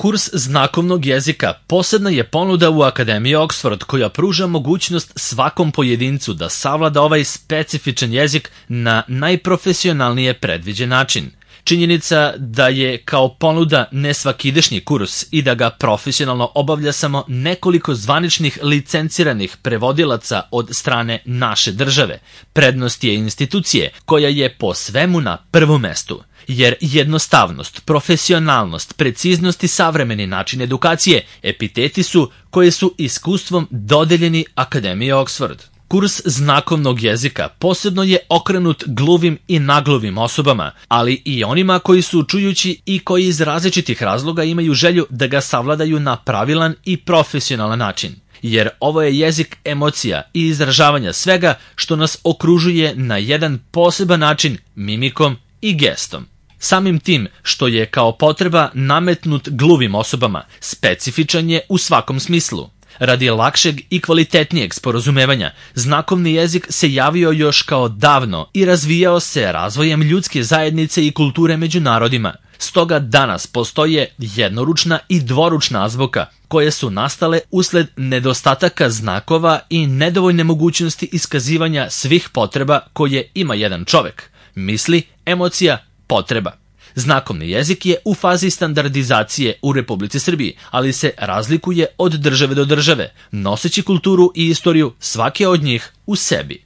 Kurs znakovnog jezika posebna je ponuda u Akademiji Oxford koja pruža mogućnost svakom pojedincu da savlada ovaj specifičan jezik na najprofesionalnije predviđen način. Činjenica da je kao ponuda nesvakidašnji kurs i da ga profesionalno obavlja samo nekoliko zvaničnih licenciranih prevodilaca od strane naše države. Prednost je institucije koja je po svemu na prvom mestu. Jer jednostavnost, profesionalnost, preciznost i savremeni način edukacije epiteti su koje su iskustvom dodeljeni Akademiji Oxford. Kurs znakovnog jezika posebno je okrenut gluvim i nagluvim osobama, ali i onima koji su čujući i koji iz različitih razloga imaju želju da ga savladaju na pravilan i profesionalan način. Jer ovo je jezik emocija i izražavanja svega što nas okružuje na jedan poseban način mimikom i gestom. Samim tim što je kao potreba nametnut gluvim osobama, specifičan je u svakom smislu. Radi lakšeg i kvalitetnijeg sporazumevanja, znakovni jezik se javio još kao davno i razvijao se razvojem ljudske zajednice i kulture među narodima. Stoga danas postoje jednoručna i dvoručna azbuka, koje su nastale usled nedostataka znakova i nedovoljne mogućnosti iskazivanja svih potreba koje ima jedan čovek. Misli, emocija, potreba. Znakovni jezik je u fazi standardizacije u Republici Srbiji, ali se razlikuje od države do države, noseći kulturu i istoriju svake od njih u sebi.